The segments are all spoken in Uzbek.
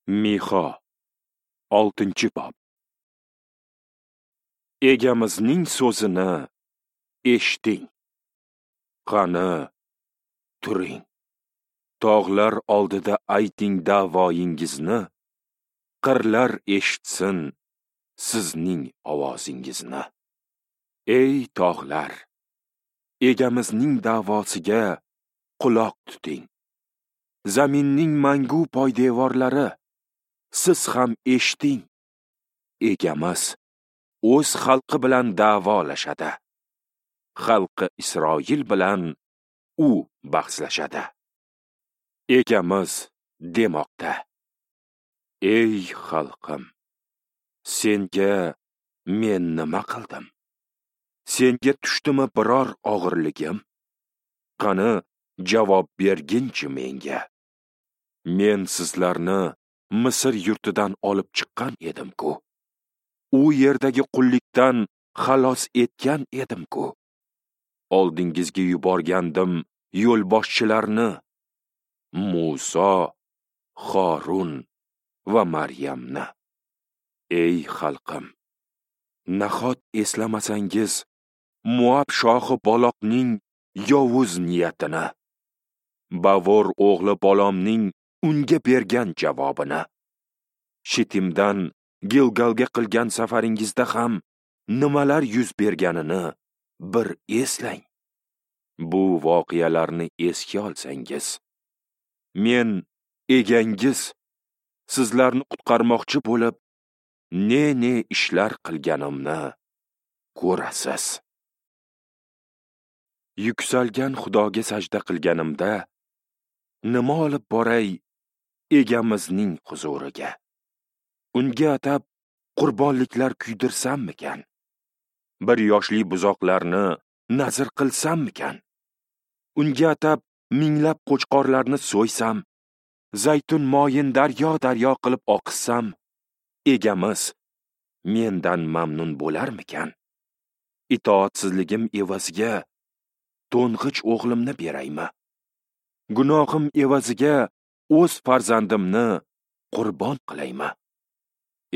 Mixa 6-bob. Egamizning so'zini eshiting. Qani, turing. Tog'lar oldida ayting da'voyingizni, qirlar eshitsin sizning ovozingizni. Ey tog'lar, egamizning da'vosiga quloq tuting. Zaminning mangu poydevorlari, siz ham eshiting. Egamiz o'z xalqi bilan da'volashadi. Xalqi Isroil bilan u bahslashadi. Egamiz demoqda: Ey xalqim, senga men nima qildim? Senga tushdimi biror og'irligim? Qani, javob berginchi menga. Men sizlarni Misr yurtidan olib chiqqan edim-ku. U yerdagi qullikdan xalos etgan edim-ku. Oldingizga yuborgandim yo'lboshchilarni, Muso, Xorun va Maryamni. Ey xalqim, nahot eslamasangiz Muab shohi Baloqning yovuz niyatini, Bavor o'g'li Balomning unga bergan javobini. Shitimdan Gilgalga qilgan safaringizda ham nimalar yuz berganini bir eslang. Bu voqealarni esga olsangiz, men egangiz sizlarni qutqarmoqchi bo'lib ne-ne ishlar qilganimni ko'rasiz. Yuksalgan Xudoga sajda qilganimda nima olib boray egamizning huzuriga? Unga atab qurbonliklar kuydirsammikan? Bir yoshli buzoqlarni nazr qilsammikan? Unga atab minglab qo'chqorlarni so'ysam, zaytun moyin daryo-daryo qilib oqizsam, egamiz mendan mamnun bo'larmikan? Itoatsizligim evaziga to'ng'ich o'g'limni beraymi? Gunohim evaziga o'z farzandimni qurbon qilaymi?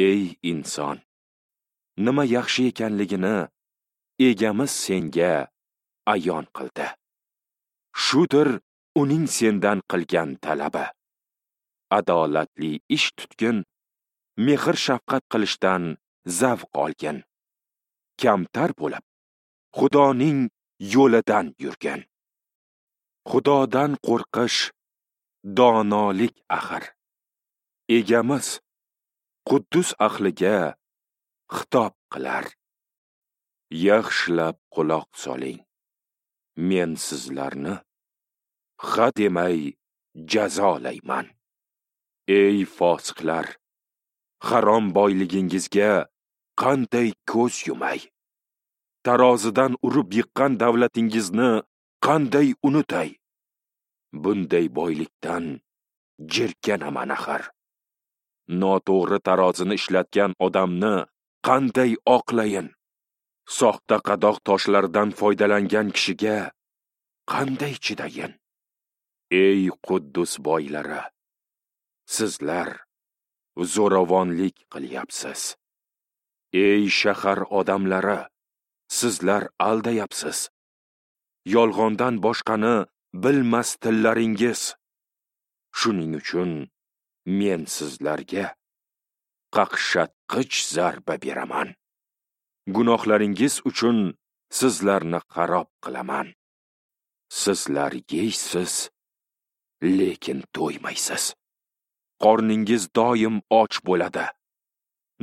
Ey inson, nima yaxshi ekanligini egamiz senga ayon qildi. Shudir uning sendan qilgan talabi. Adolatli ish tutgin, mehr shafqat qilishdan zavq olgin. Kamtar bo'lib, Xudoning yo'lidan yurgin. Xudodan qo'rqish donolik axir. Egamiz Quddus ahliga xitob qilar. Yaxshilab quloq soling. Men sizlarni ha demay jazolayman. Ey fosiqlar, harom boyligingizga qanday ko'z yumay? Tarozidan urib yiqqan davlatingizni qanday unutay? Bunday boylikdan jirkanaman axir. Noto'g'ri tarozini ishlatgan odamni qanday oqlayin? Soxta qadoq toshlardan foydalangan kishiga qanday chidayin? Ey Quddus boylari, sizlar zo'ravonlik qilyapsiz. Ey shahar odamlari, sizlar aldayapsiz. Yolg'ondan boshqani bilmas tillaringiz. Shuning uchun men sizlarga qaqshatqich zarba beraman. Gunohlaringiz uchun sizlarni xarob qilaman. Sizlar yeysiz, lekin to'ymaysiz. Qorningiz doim och bo'ladi.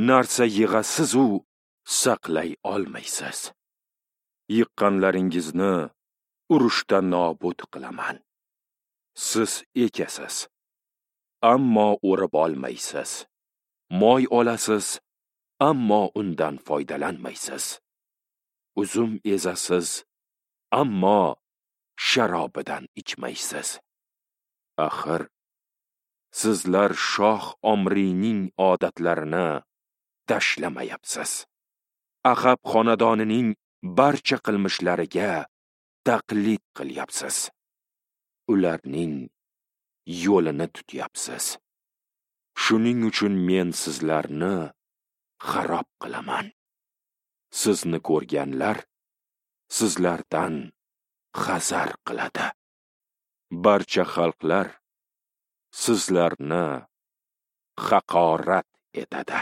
Narsa yig'asiz u saqlay olmaysiz. Yiqqanlaringizni urushda nobud qilaman. Siz ekasiz, ammo o'rib olmaysiz. Moy olasiz, ammo undan foydalanmaysiz. Uzum ezasiz, ammo sharobidan ichmaysiz. Axir sizlar shoh Omriyning odatlarini tashlamayapsiz. Axab xonadonining barcha qilmishlariga taqlid qilyapsiz. Ularning yo'lini tutyapsiz. Shuning uchun men sizlarni xarob qilaman. Sizni ko'rganlar sizlardan hazar qiladi. Barcha xalqlar sizlarni haqorat etadi.